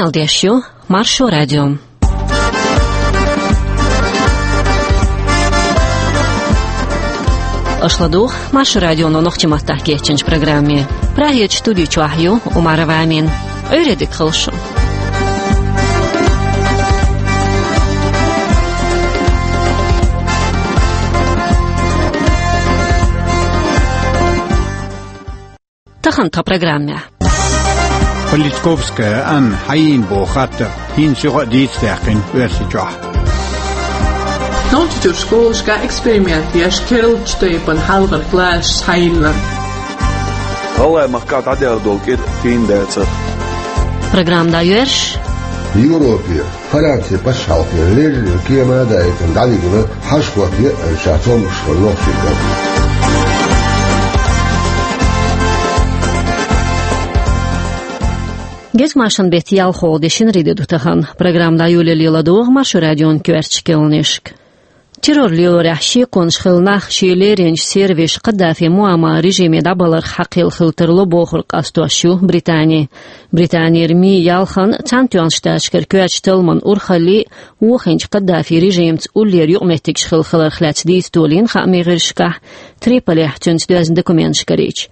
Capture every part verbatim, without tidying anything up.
Къамел деш ю Маршо радио. Аша ладугӀу Маршо радионо нохчийн маттахь кечйинчу программе. Прагерчу студи чохь ю Умарова Амина. Ӏуьйре дика хуьлда шун. Тахана тхан программехь. Политковская Анна хьайна боху хаттар хӀинца юха а дийца даьккхина Оьрсийчохь. Нохчийчуьра школашкахь эксперимент еш, керлачу тайпана хьалхара классаш схьайиллина. ГӀалгӀайн махкахь дӀадаьлла долу кӀира тийна дацара. Программа дӀайоьрзуш. Европе, Францин пачхьалкхе леррина кема а даийтина дӀавигна хьажа-хӀотта еъна ша цомгуш хилла нохчийн кӀант. Гезгмашин беттан ялхолгӀа де шинарин де ду тахана. Программа дӀайолале ладогӀа Маршо радион коьртачу керланашка. Террор лелорехь шеконаш хилла нах шен леринчу сервисаша Каддафи Муаммар режиме дӀабаларх хьакхелла хила тарло бохург къастош ю Британи. Британера МИ-ялханна Цхьаьнатоьхначу Штаташкара коьртачу талламан урхаллий, вохийначу Каддафин режимца уллера юкъаметтигаш хилла хиларх лаьцна дийца толийна хаамийн гӀирсашкахь, Триполехь цуьнца доьзна документаш карийча.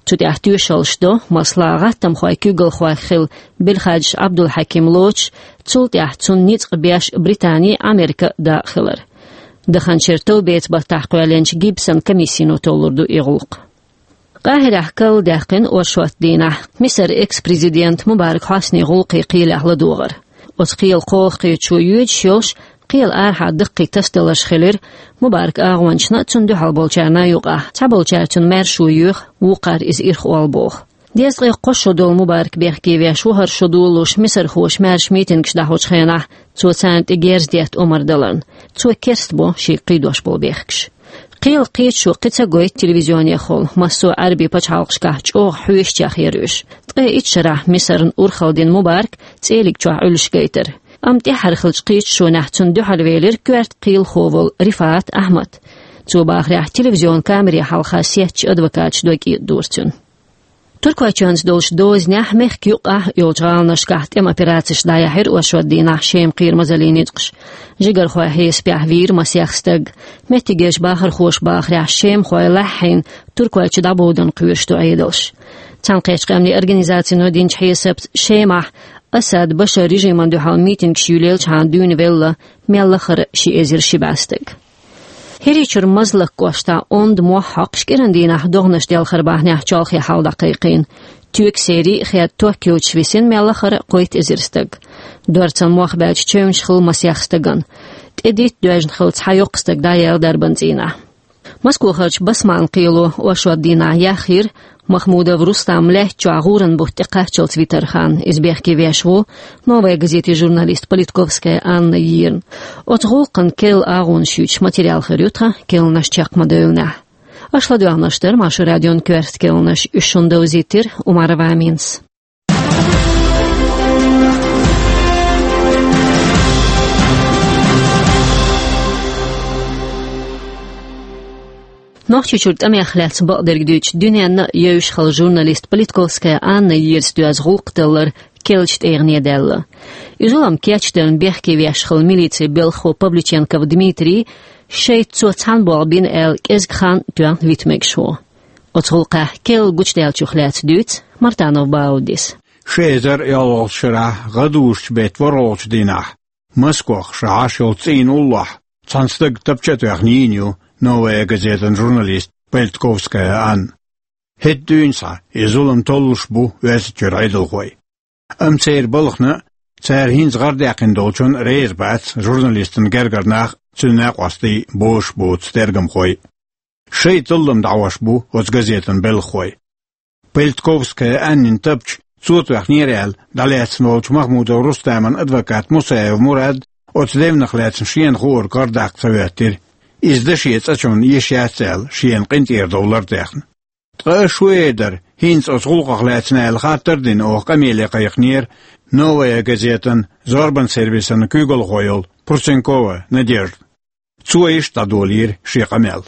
Цу тӀехь тоьшаллаш до, масала, гӀаттамхойн куьйгалхойх хилла Белхаджиев Ӏабдулхьаким лоцуш, цул тӀаьхьа цунна ницкъ беш Британи а, Америка а дакъа хилар. Даханчуьра товбеца баттахь кхоьллинчу Гибсон комиссино толлур ду и гӀуллакх. Къахьирехь карладаьккхина оршот дийнахь Мисар экс-президент Мубарак Хьоснин гӀуллакхийн кхелехь ладогӀар. Оцу кхелан кхоалгӀачу кхеташо йоьдуш йолуш, кхелан арахьа даккхий тасадаларш хилира Мубаракан агӀончашна а, цунна дуьхьал болчарна а юкъахь. Цхьаболчара цунна маьршо йоьху, вукхара иза ирхъолла боху. Дезткъе кхо шо долу Мубарак бехке веш ву хӀара шо долуш мисархоша маьрша митингаш дӀахьочу хенахь, цо царна тӀе герз детта омра даларна. Цо керстбо шега кхийдош болу бехкаш. Кхелан кхеташо кхин ца гойту телевизионехула, массо а Ӏаьрбийн пачхьалкхашкахь чӀогӀа хьоьшучех яра уьш. Ткъе итт шарахь Мисарна урхалла дина Мубарак цӀелиг чохь Ӏуьллуш гайтара. Амма тӀаьххьара хиллачу кхеташонехь цунна дуьхьал велира коьрта кхелахо волу Рифаат Ахьмад. Цо бахарехь, телевизион камере хьалха сеттачу адвокаташа дог кӀеда дора цуьнан. Туркойчоьнца долчу дозанехь мехкан юккъехь йолчу гӀаланашкахь тӀеман операцеш дӀаяьхьира оршот дийнахь Шеман кхерамазаллин ницкъаша. Жигархойн хьесапехь вийра масех стаг. Меттигерчу бахархоша бахарехь, шемахой лаьхьийна Туркойчу дӀабовдан кхоьруш ду Ӏедалш. Цхьаьнакхеттачу къаьмнийн организацино динчу хьесапца, Шемахь Асад Башар режимана дуьхьал митингаш юьллелчхьана дуьйна велла мел лахара ши эзар ши бӀе стаг. ХӀирийчуьра Мазлак кӀоштахь онда мохь хьокхуш кӀиран дийнахь догӀанаш делхар бахьанехь чолхе хьал дӀакхайкхийна. Тоьган серий а, хед ток йоцуш висина мел лахара кхойтта эзар стаг. Дорцан мох баьлча чевнаш хилла масех стагана. ТӀедитта доьжна хилла цхьа йоккха стаг дӀаяьлла дарбан цӀийнахь. Москохарчу Басманан кхело оршот дийнахь яхйира Махмудов Рустам лаьтта чохь гӀуран бутт тӀекхаччалц витарх. Иза бехке веш ву «Новая газетин» журналист Политковская Анна йийрна. Оцу гӀуллакхана керла агӀонаш юьйцуш материал хир ю тхан керланаш чекх ма-девллинехь. Аша ладоьгӀнарш дара Маршо радион коьрта керланаш, уьш шуна довзийтира Умарова Аминас. Нохчийчуьра тӀамех лаьцна бакъдерг дуьйцуш, дуьненна а евзаш хилла журналист Политковская Анна йийрца доьзна гӀуллакх далар керлачу тӀегӀане даьлла. И зулам кечдевлла бехке веш хилла милицин белхахо Павлюченков Дмитрий, шайца цо цхьаьна болх бина аьлла, кӀезиг хан тоьхна вита мегаш ву. Оцу гӀуллакхехь керла гучудаьллачух лаьцна дуьйцу Мартанов Баудис. Ши эзар йолхалгӀачу шарахь гӀадужучу беттан ворхӀалгӀачу дийнахь Москох ша Ӏаш йолчу цӀийнан уллохь цхьана стага тапча а тоьхна йийна ю «Новая газетан» журналист Политковская Анна. ХӀетахь дуьйна схьа и зулам толлуш бу Оьрсийчуьра Ӏедалхой. Амма церан балхана а, цара хӀинца гӀардаьккхина долчунна а реза бац журналистан гергара нах а, цуьнан накъостий а, бозуш боцу тергамхой а. Шайн таллам дӀахьош бу оцу газетан белхахой. Политковская Аннин тапча цо тоьхнера аьлла дӀалаьцна волчу Махмудов Рустаман адвокат Мусаев Мурад оцу девнах лаьцна шена хуург гӀардаккха ца хӀоьттира. Иза даше цӀа чунна йиш яц аьлла, шена къинтӀера довлар а даьхна. Ткъа аша хӀун эр дара хӀинца оцу гӀуллакхах лаьцна аьлла хаттар а дина, оха къамеле кхайкхинера «Новая газетан» зорбан сервисан куьйгалхо йолу Пурсенкова Надежда. Цо иштта дӀадолийра шен къамел.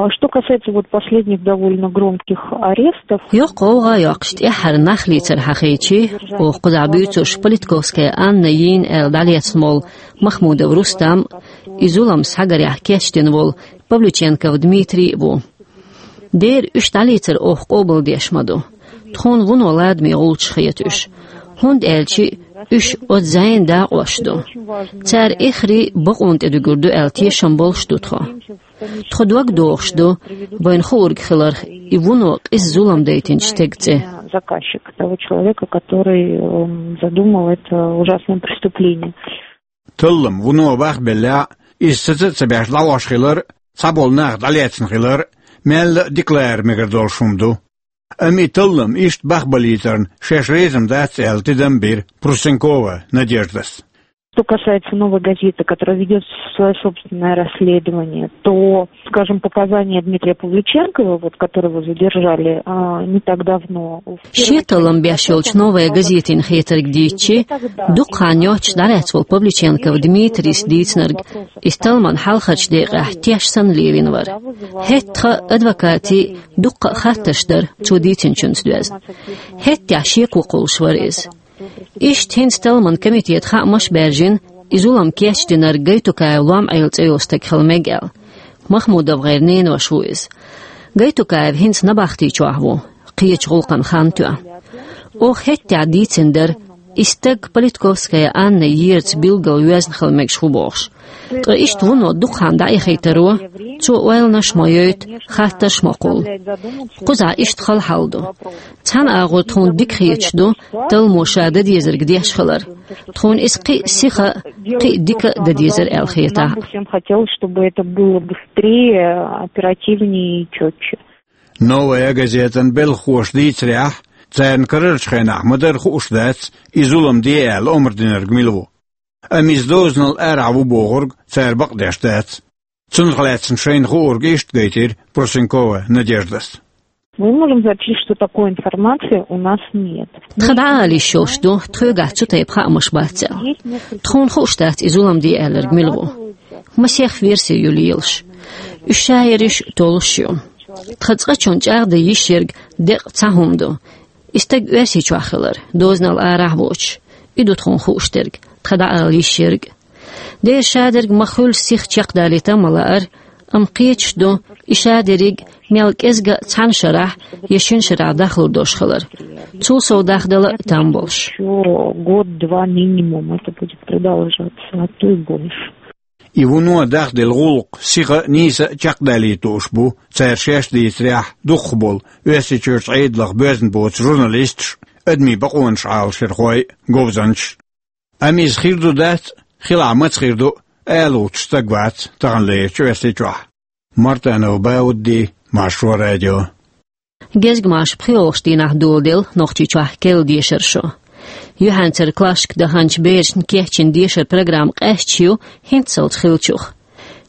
А что касается вот последних довольно громких арестов, Йоккха гӀовгӀа йоккхуш тӀеххьара нах лийцар хьахийчи, оха кхузахь буьйцурш Политковская Анна йийна аьлла дӀалецна волу Махмудов Рустам, и зулам схьагарехь кечдина волу Павлюченков Дмитрий а ву. Дера уьш дӀалийцар оха къобалдеш ма ду. Тхуна вуно ладаме гӀулчаш хета уьш, хӀунда аьлча уьш оцу зӀенан дакъош ду. Цара эххар бакъонна тӀедуьгур ду аьлла тешам болуш ду тхо. Тхо дог дохуш ду вайна хуург хиларх и вуно къиза зулам дайтинчу стеган цӀе. Заказчик того человека, который, эм, задумал это ужасное преступление. Таллам вуно бахбеллехь, иза саца а ца беш дӀахьош хилар, цхьаболу нах дӀалецна хилар, мелла а дика лара мегар долуш хӀума ду. Амма и таллам иштта бахбалийтарна шаьш реза ма дац аьлла тидам бира Прусенкова Надеждас. Что касается «Новой газеты», которая ведёт своё собственное расследование, то, скажем, показания Дмитрия Павлюченкова, вот, которого задержали, а, не так давно, в первой части... Шен таллам беш йолчу «Новая газетина» хетарг дийцичи, дукха хан йоццуш дӀалаьцна волу Павлюченков Дмитрийс дийцинарг, иза талламан хьалхарчу декъехь теш санна лелийна вара. ХӀетахь адвокатийн дуккха а хаттарш дара цо дийцинчуьнца доьзна. ХӀеттехь шеко кхуллуш вара иза. Иштта хӀинца талламан комитета хаамаш а баьржина, и зулам кечдинарг Гайтукаев Лом-Ӏела цӀе йолу стаг хила мега аьлла. Махмудов-гӀеран ненош ву иза. Гайтукаев хӀинца набахти чохь ву, кхечу гӀуллакхна хан тоьхна. Оха хӀеттехь дийцина дара, и стаг Политковская Анна ерца билггал йоьзна хила мегаш ву бохуш. Ткъа иштта вуно дукха хан дӀаихийтаро, цо ойланаш а ма йойту, хаттарш а ма кхуллу. Кхузахь иштта хала хьал ду. Цхьана агӀор тхуна дика хеташ ду талламо ша дан дезарг деш хилар. Тхуна иза кхин а сиха а, кхин а дика а дан дезара аьлла хетахь а. Нам бы всем хотелось, чтобы это было быстрее, оперативнее и чётче. «Новая газетан» белхахоша дийцарехь, царна карарчу хенахь ма-дарра хууш дац, и зулам де аьлла омра динарг мила ву. Амма иза дозанал арахь ву бохург цара бакъдеш дац. Цунах лаьцна шайна хуург иштта гайтира Прусенкова Надеждас. Мы можем сообщить, что такой информации у нас нет. Тхан дӀаала йиш йолуш ду, тхоьгахь цу тайпа хаамаш бац аьлла. Тхуна хууш дац и зулам де аьлларг мила ву. Масех верси ю лелаш. Уьш шаерриш а толуш ю. Тхан цкъачунна чӀагӀдан йиш ерг деккъа цхьа хӀума ду. И стаг Оьрсийчохь хилар, дозанал арахь а воцуш. И ду тхуна хууш дерг, тхан дӀаала йиш ерг. Дера шадерг ма-хуьллу сиха чекхдалийта ма лаара, амма кхеташ ду, и шадерриг мел кӀезга а цхьана шарахь я шина шарахь дахлур долуш хилар. Цул сов дахдала а там болуш. Ещё год-два минимум это будет продолжаться, а то и больше. И вуно дахделла гӀуллакх сиха а, нийса а чекхдалийта лууш бу, цара шаьш дийцарехь, дукхахболу Оьрсийчуьрчу Ӏедалх боьзна боцу журналисташ а, адамийн бакъонаш Ӏалашъярхой а, говзанчаш а. Амма иза хир ду-дац, хилахь маца хир ду, алуьйтуш стаг вац таханлерчу Оьрсийчохь. Мартанов Баудди, Маршо радио. Гезгмаша пхоьалгӀачу дийнахь доладелла Нохчийчохь керла дешаран шо. Юьхьанцара классашка даханчу берашна кечйина дешаран программа къаьсташ ю хӀинццалц хиллачух.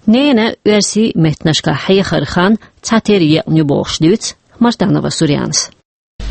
Ненан оьрсийн меттанашкахь хьехаран хан цхьатерра екъна ю бохуш дуьйцу Мартанова Сурьянас.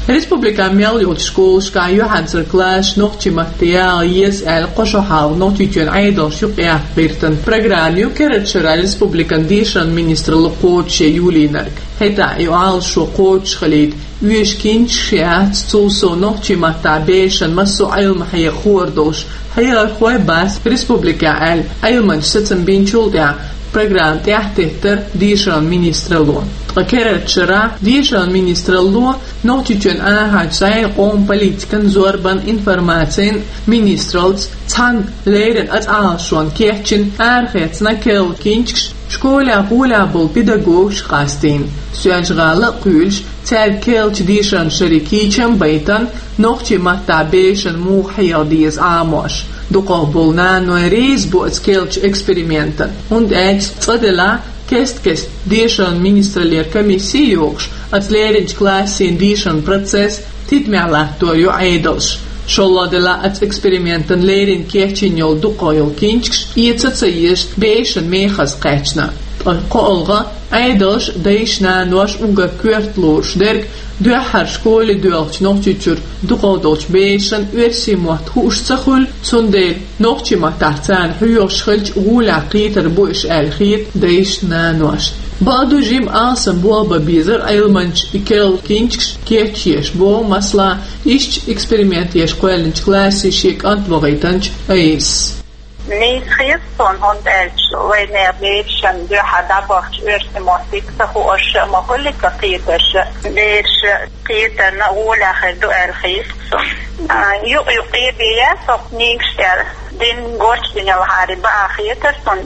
Республикан мел йолчу школашкахь юьхьанцара классаш нохчийн матте яла еза аьлла, кхо шо хьалха Нохчийчоьнан Ӏедалша юкъаяккха гӀиртина программа ю керла шарахь республикан дешаран министралло кхочушъян юлийнарг. ХӀетахь и Ӏалашо кхочушхилийта оьшу кинчаш яц, цул сов нохчийн маттахь бешан массо а Ӏилма хьеха хуур долуш хьехархой бац республикехь аьлла, Ӏилманчаша сацам бинчул тӀаьхьа программа тӀаьхьатеттара дешаран министралло. Ткъа керла шарахь дешаран министралло Нохчийчоьнан ахьарчу зӀенан, къоман политикан, зорбан, информацин министраллица цхьаьна леррина оцу Ӏалашонна кечйина арахецна керла кинчаш школехь гӀолехь болу педагогашка къастийна. Соьлжа-ГӀала а кхуьйлуш, цаьрга керлачу дешаран шеран кийчам а байтина, нохчийн маттахь бешан муха хьеха деза Ӏамош. Дукхахболу наной реза бу оцу керлачу экспериментана, хӀунда аьлча цкъа делахь, кест-кеста дешаран министраллера комисси а йохуш, оцу леринчу классийн дешаран процесс тидамехь латтор ю Ӏедалша. ШолгӀа делахь, оцу экспериментана леррина кечйина йолу дукхах йолу кинчаш эца ца езаш бешан мехаза кхаьчна. Ткъа кхоалгӀа, Ӏедалша дайша-наноша уггар коьрта лоруш дерг, дуьххьара школе доьлхучу Нохчийчуьра дукхах долчу бешан оьрсийн мотт хууш ца хуьлу, цундела нохчийн маттахь царна хьоьхуш хилча гӀолехь кхетар бу уьш аьлла хета дайшна-наношна. Бакъду, жима алсам болх бан безар Ӏилманча и керла кинчкаш кечъеш боху, масала, иштта эксперимент еш кхоьллинчу классе шен кӀант вахийтинчу Айсас. Нийса хета суна, хӀунда аьлча вайнехан берашна дуьхьа дӀабахча оьрсийн мотт дика ца хууш а ма хуьлу-кх кхетарш а. Бераш кхетарна гӀолехь хир ду аьлла хета суна. А, юкъ-юкъе бен яц хӀокху книгаш тӀера дин гочдинархьара баа хетара суна.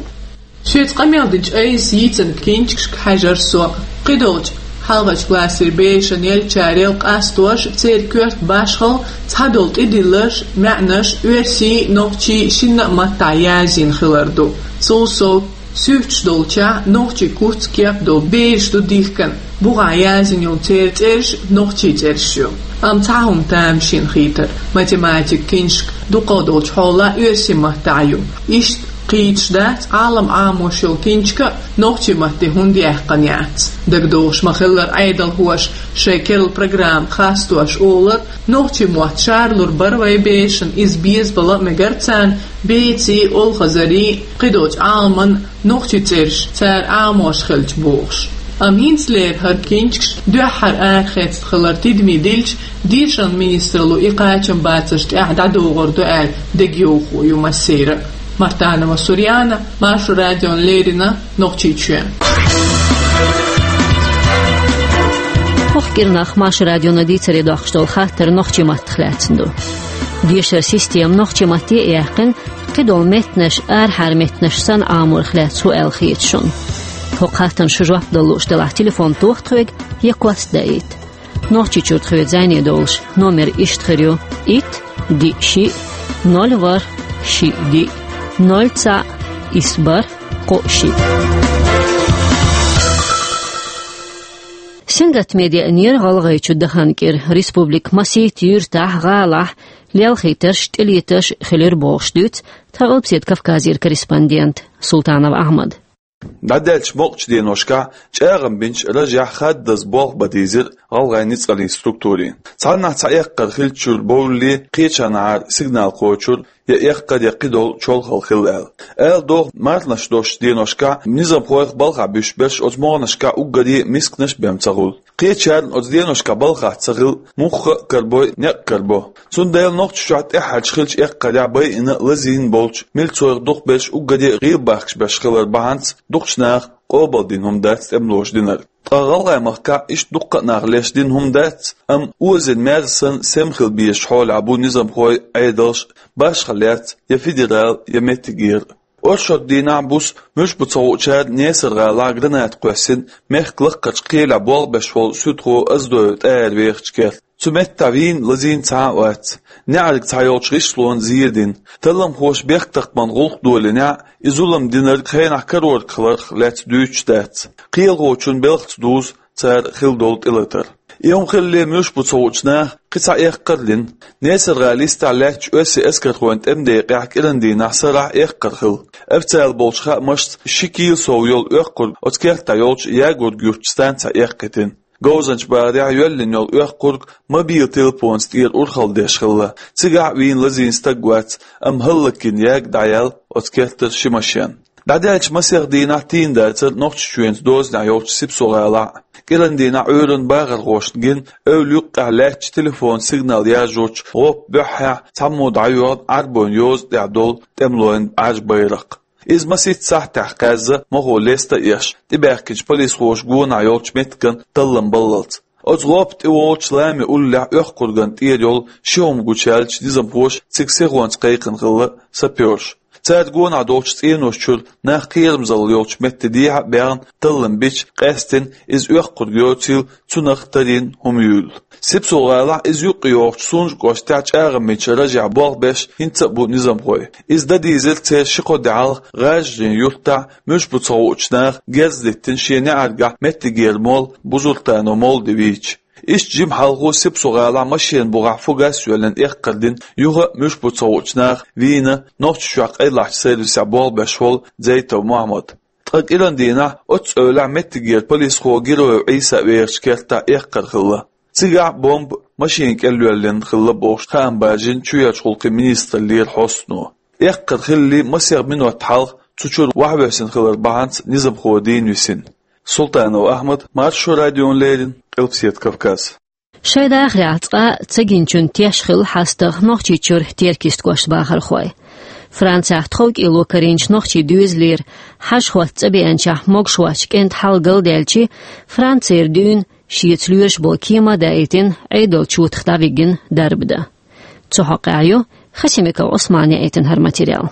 Шеца къамел динчу Айсас йийцина кинчкашка хьаьжира со. Кхидолчу хьалхарчу классера берашна еллачарел къастош, церан коьрта башхалла, цхьадолу тӀедилларш, маьӀнаш оьрсийн, нохчийн шинна а маттахь язйина хилар ду. Цул сов, суьрташ долчохь нохчийн куц, кеп долу бераш ду дихкина. Бухахь язйина йолу церан цӀераш нохчийн цӀераш ю. Амма цхьа хӀума тамашийна хийтира: математикан кинчка дукхах долчу хьолахь оьрсийн маттахь ю. Иштта кхеташ дац, Ӏалам Ӏамош йолу кинчка нохчийн матте хӀунда яьккхина яц. ДагадогӀуш ма-хиллара, Ӏедалхоша шайн керла программа хастош олура, нохчийн мотт шарлур бара вайн берашна, иза безабала а мегара царна, беций, олхазарий, кхидолчу Ӏаламан нохчийн цӀераш цара Ӏамош хилча бохуш. Амма хӀинцалера хӀара кинчкаш дуьххьара арахецна хилар тидаме дилча, дешаран министралло и кхачам бацарш тӀехь дӀадогӀур ду аьлла дегайовхо ю массеран а. Мартанова Сурьяна, Маршо радиона леррина, Нохчийчоь. ХӀокху кӀирнах Маршо радиона дийцаре доккхуш долу хаттар нохчийн маттах лаьцна ду. Дешаран система нохчийн матте а яьккхина, кхидолу меттанаш арахьара меттанаш санна Ӏаморах лаьцна хӀун аьлла хета шуна? ХӀокху хаттарна шу жоп дала лууш делахь, телефон тоха тхоьга я кост даийта. Нохчийчуьра тхоьца зӀене долуш номер иштта хир ю: итт, диъ, шиъ, ноль, ворхӀ, шиъ, диъ, ноль, цхьаъ, исс, бархӀ, кхоъ, шиъ. Сингаттаме деанера ГӀалгӀайчу дахана кӀира. Республикан масийтта юьртахь, гӀалахь лелхийтарш, тӀелетарш хилира бохуш дуьйцу тхан Къилбаседа Кавказера корреспондента Султанов Ахьмада. ДӀадаьллачу мукъачу деношкахь чӀагӀам бинчу ражехь хаддаза болх бан дийзира гӀалгӀайн ницкъаллин структурийн. Цхьаннахь цхьа эккхар хиллачуьра бовлле, кхечанхьара сигнал кхочура, я эккхар, я кхидолу чолхалла хилла аьлла. Ала догӀу, марханаш долчу деношкахь низамхойх балхахь буьсуш берш оцу могӀанашкахь уггаре а мисканаш а бен ца хуьлу. Кхечарна оцу деношкахь балхахь ца хилла муха а карабо, некъ а карабо. Цундела Нохчийчохь тӀаьххьарчу хиллачу эккхарехь байина а, лазийна а болчу милцойх дукхахберш уггаре а гӀийла бахкаш берш хилар бахьанца дукхачу наха къобалдина хӀума дац тӀемалоша динарг. Ткъа ГӀалгӀай махкахь иштта дуккха а наха леш дина хӀума дац, амма озийна мерза санна сема хила безачу хьолехь бу низамхой, Ӏедалш, башхалла яц я федерал, я меттигера. Оршот дийнахь буса муьлш бу ца хуучара Несар-гӀалахь граната кхоьссина мехкан лакхарчу кхелехь болх беш волу суьдхо Оздоев ТӀаьра вехачу керта. Цу меттехь вийна, лазийна цхьа а вац. НеӀарга цхьайолчу гӀишлонна зер дина. Талламхоша бехктакхаман гӀуллакх долийнехь, и зулам динарг хенахь карорг хиларх лаьцна дуьйцуш дац. Кхелахочун белхаца дузу цара хилла долу тӀелатар. И хӀума хиллале, муьлш бу ца хуучу наха кхин цхьа эккхар а лина. Несар-гӀала йистехь лаьттачу оьрсийн эскархойн тӀеман декъехь кӀиран дийнахь сарахь эккхар хилла. Официалан болчу хаамашца, ши кила сов йолу оьккхург оцу кертахь йолчу Ягург-Юьртан станцехь эккхийтина. Говзанчу бахарехь йоьллина йолу оьккхург мобил телефонца тӀера урхалла деш хилла. Цигахь а вийна, лазийна стаг вац, амма хӀаллакйина ягга дӀаяьлла оцу кертара ши машен. ДӀадаьллачу масех дийнахь тийна дацара Нохчийчоьнца дозанехь йолчу Сипсо-гӀалахь а. КӀиран дийнахь Ӏуьйранна бахархошна гина эвла юккъехь лаьттачу телефонан сигнал яржочу гӀопан буьххьехь цхьаммо дӀайоьгӀна Ӏарбойн йоза тӀехь долу тӀемалойн Ӏаьржа байракх. Иза масийтта сахьтехь кхаьзна, мохо леста а еш, тӀебаьхкинчу полисхоша гонахь йолчу меттиган таллам баллалц. Оцу гӀопа тӀе волчу лами уллехь оьккхургана тӀера йолу ши хӀума гучуяьллачу низамхоша цига сихонца кхайкхина хилла сапёрш. Цара гонахь долчу цӀенош чуьра нах кхерамзалла йолчу метте дехьа а баьхна, таллам бича, къаьстина иза оьккхург йоцийла, цунах тарийна хӀума юйла. Сипсо-гӀалахь, иза юккъе йогӀучу Сунжа кӀоштехь чӀагӀам бинчу ражехь болх беш хӀинца а бу низамхой. Иза дан дийзира церан ши-кхо де хьалха ГӀажарийн юьртахь муьлш бу ца хуучу наха герз диттина шен неӀаргахь меттигера молла Бузуртанов Молди вийча. Иштта жима хьалха Сипсо-гӀалахь машенан бухахь фугас а йоьллина эккхар дина, юха а муьлш бу ца хуучу наха вийна, Нохчийчохь къайлахчу сервисехь болх беш волу Дзейтов Мохьмад. Ткъа кӀиран дийнахь оццу эвлахь меттигера полисхо Героев Ӏийса вехачу кертахь эккхар хилла. Цигахь а бомба машина кӀел йоьллина хилла бохуш, хаам баржийна чоьхьарчу гӀуллакхийн министраллера хьостано. Эккхар хиллале масех минот хьалха цу чуьра ваьхьавоьссина хилар бахьанца низамхо дийна висина. Султанов Ахьмад, Маршо радиона леррина, Къилбаседа Кавказ. Шайн дахарехь цкъа а ца гиначун теш хилла хьастагӀа Нохчийчуьра Теркйист кӀоштан бахархой. Францехь тховкӀело карийначу нохчийн доьзалера хьажа-хӀотта цӀа беанчохь могуш воцчу кӀентан хьал галдаьлча, Францера дуьйна шеца лоьраша болу кема а даийтина, Ӏедалчу чотах дӀавигина дарба дан. Цу хьокъехь ю Хасимиков Ӏусмана яийтина хӀара материал.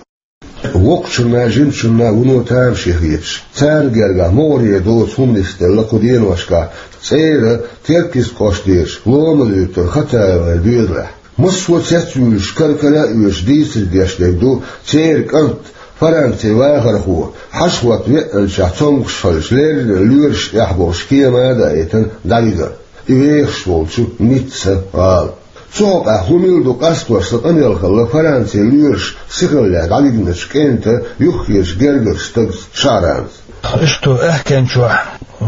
Воккхачунна, жимачунна вуно тамашийна хеташ, царна гергахь могӀаре доцу хӀуманаш делла кху деношкахь цӀера Теркйист кӀоштан дезаш лома луьйтура Хатаевн доьзалехь. Массо а цецвуьйлуш, кара-кара а оьшуш дийцар деш дерг ду, церан кӀант, Францин вахархо, хьажа-хӀотта веанчохь цомгуш хилча, леррина лоьрашна тӀехь болуш кема а даийтина, дӀавигар. И вехаш волчу Ницца гӀала. Цу хьокъехь хӀун мила ду къастош сан къамел хилла Францин лоьраша сихаллехь дӀавигначу кӀентан юххерчу гергарчу стагца Шаранца. Иштта аьхкенчохь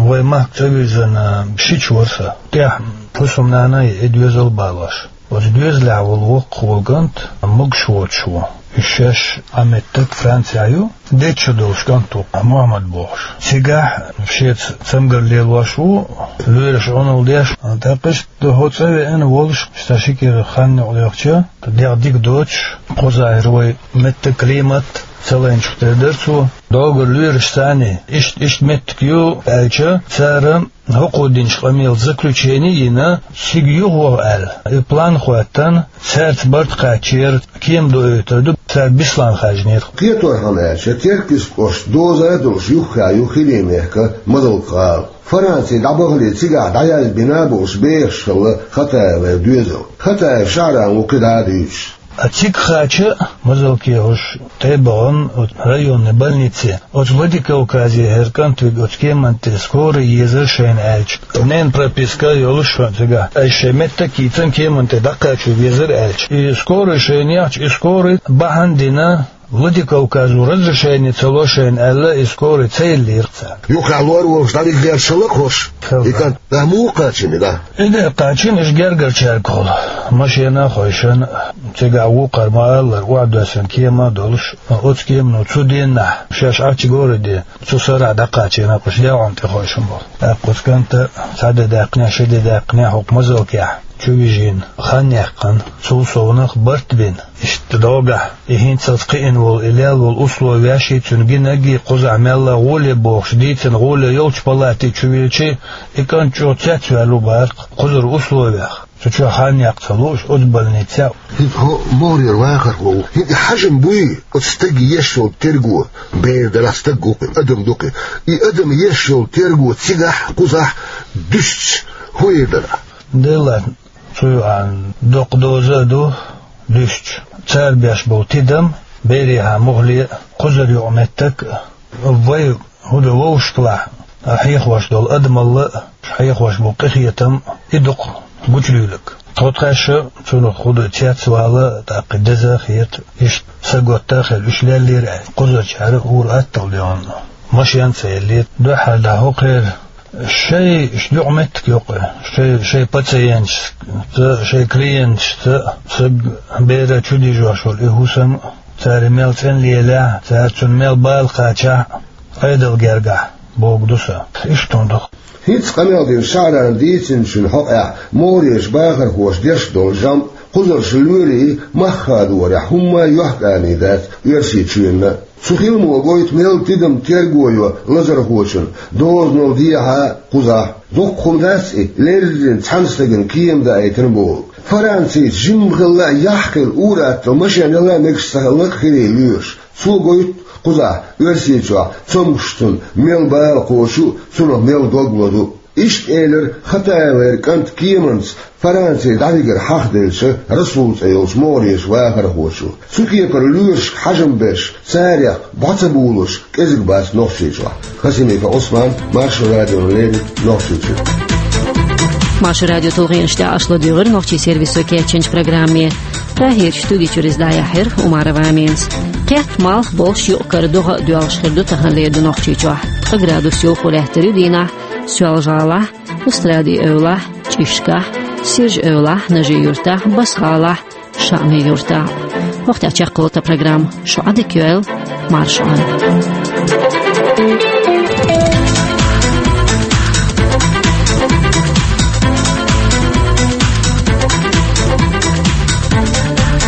вай махка цӀа вирзина шича вара сан. ТӀехь хӀусамнана а, и доьзал а балош. Оцу доьзалехь волу воккхаво кӀант могуш воцуш ву. Уьш шаьш Ӏан меттиг Францехь ю, дечча долуш кӀант ву, Мухьаммад бохуш. Цигахь шеца цамгар лелош ву, лоьраша Ӏуналла деш, тӀаккха иштта хӀокху цӀа веана волуш, сан ши кӀира хан юкъа лоьхча, дегӀ дика доцуш, кхузахь хӀара вай меттиг, климат ца лайначух тера дара цо. ДӀогара лоьрашца цхьаьна, иштта, иштта меттиг ю аьлча, цара хӀокхо динчу къамелан заключение а йина, цига юхаваха аьлла, и план а хӀоттийна, цаьрца барт кхаьчнера, кема доуьйтур ду, цара Беслан хаьржинера. Кхеторхьама аьлча, Теркйист кӀоштан доза а долуш юххехь ю хилийчу мехкан Мазалка гӀала. Франци дӀабахале цигахь дӀаязбина а болуш бехаш хилла Хатаевн доьзал. Хатаев Шаран ву кхидӀа а дуьйцуш. А цига кхача а, Мазалке хӀуш тӀе а бахана, оцу районный больнице, оцу Владикавказе хӀара кӀант вига оцу кеманна тӀе скорый езара шайна аьлча. Ненан прописка йолуш хӀун цигахь. Ай шайн меттиг йийцина кеманна тӀе дӀакхачо везара аьлча. И скорый шайна яхча, и скорый бахьана дина, Владикавказо разрешение ца ло шайна аьлла, и скорый ца йиллера цара. Юххехь лор волуш дӀавигира шала а хӀорш. Хьо. И кӀант, да, муха кхачийна, да? И де кхачийна, уьш гергарчаьргахула. Машена а хойшина, цигахь вукхара ма-аллара, охьадоьссина кема а долуш, оцу кемано цу деннахь, шаьш Ӏачу городе, цу сарахь дӀакхачийна, кхуш яьгӀун тӀе хойшина болу. ТӀаккха оцу кӀанта цхьа де даьккхинехь, ши де даьккхинехь хӀокху Мазалкехь чу вижийна, хан яьккхина, цул совнах барт бина. Иштта догахь, и хӀинцалц кхиъна волу, и лелла волу условияш а, цуьнан гинарг а, кхузахь мелла гӀоле бохуш дийцина гӀоле йолчу палате чу вилча, и кӀант чӀогӀа цецваьлла ву бахара кхузара условиях. Цу чохь хан яккха ца лууш, оцу больницехь. ХӀинца хьо могӀарера вахархо ву. ХӀинца хьажам буй оцу стага еш йолу терго, бер дарахь стаг ву кхин, адам ду кхин. И адам еш йолу терго цигахь, кхузахь дуьстича, хӀун эр дара? Делахь, цу юкъахь доккха доза а ду дуьстича. Цара беш болу тидам, берехьа мухӀале а, кхузара юкъаметтиг а, вай хӀун ду вовшахкалахь, хьехош долу адамалла а, хьехош болу къинхетам а, и дукха гучудуьйлург. Тхо тхаьш а цунах хӀун ду цецвала, тӀаккха деза а хета, иштта саготта а хилла, уьш леллера аьлла, кхузарчара а хӀора атталла дегӀана машен а ца еллера. Дуьххьара дӀа хӀокхеран шайн юкъаметтиг йоккху, шайн, шайн пациенташца, шайн клиенташца, саг бера чу дижош волу и хӀусам, цара мел цӀена лелахь, цара цунна мел бала кхачахь, Ӏедал гергахь, бохург ду сан. Иштта хӀун ду. ХӀинца къамел дина Шаьран дийцинчун хьокъехь могӀарерчу бахархоша деш долу жамӀ кхузарчу лоьрийн мах хадорехь хӀумма а йохканий дац Оьрсийчоьнна. Цу хиламо гойту мел тидам терго йо лазархочун, дозанал дехьа а кхузахь. Доккха хӀума дац и, леррина цхьана стагана кема даийтина бохург. Францийчу жимма хилла а, яхь хилла а, ур-атталла машен яла а мегаш ца хилла а хилий лоьраша. Цо гойту кхузахь, Оьрсийчохь, цомгушчунна мел бала кхочу а, цунах мел дог лозу а. Иштта элира Хатаевера кӀанта кеманца Франци дӀавигар хьахаделлачу Расул цӀе йолчу могӀарерчу вахархочо. Цу кепара лоьрашка хьажам беш, царех бӀо ца булуш кӀезиг бац Нохчийчохь. Хасимиков Ӏусман, Маршо радиона леррина, Нохчийчуьра. Маршо радион тулгӀенаш тӀехь аша ладуьйгӀира нохчийн сервисо кечйинчу программе. Прагерчу студи чуьра иза дӀаяьхьира Умарова Аминас. Кхетта, малх болуш, юкъ-кара догӀа а доьлхуш хир ду тахана леррина Нохчийчохь. Ткъа градус йовхо лаьттар ю дийнахь Соьлжа-ГӀалахь, Устрадин эвлахь, ЧӀишкахь, Сиржа-эвлахь, Нажи-Юьртахь, Басса-ГӀалахь, ШаӀми-Юьртахь. ХӀокху тӀехь чекхъелла тхан программа. Шу Ӏадика йойла, марша Ӏойла.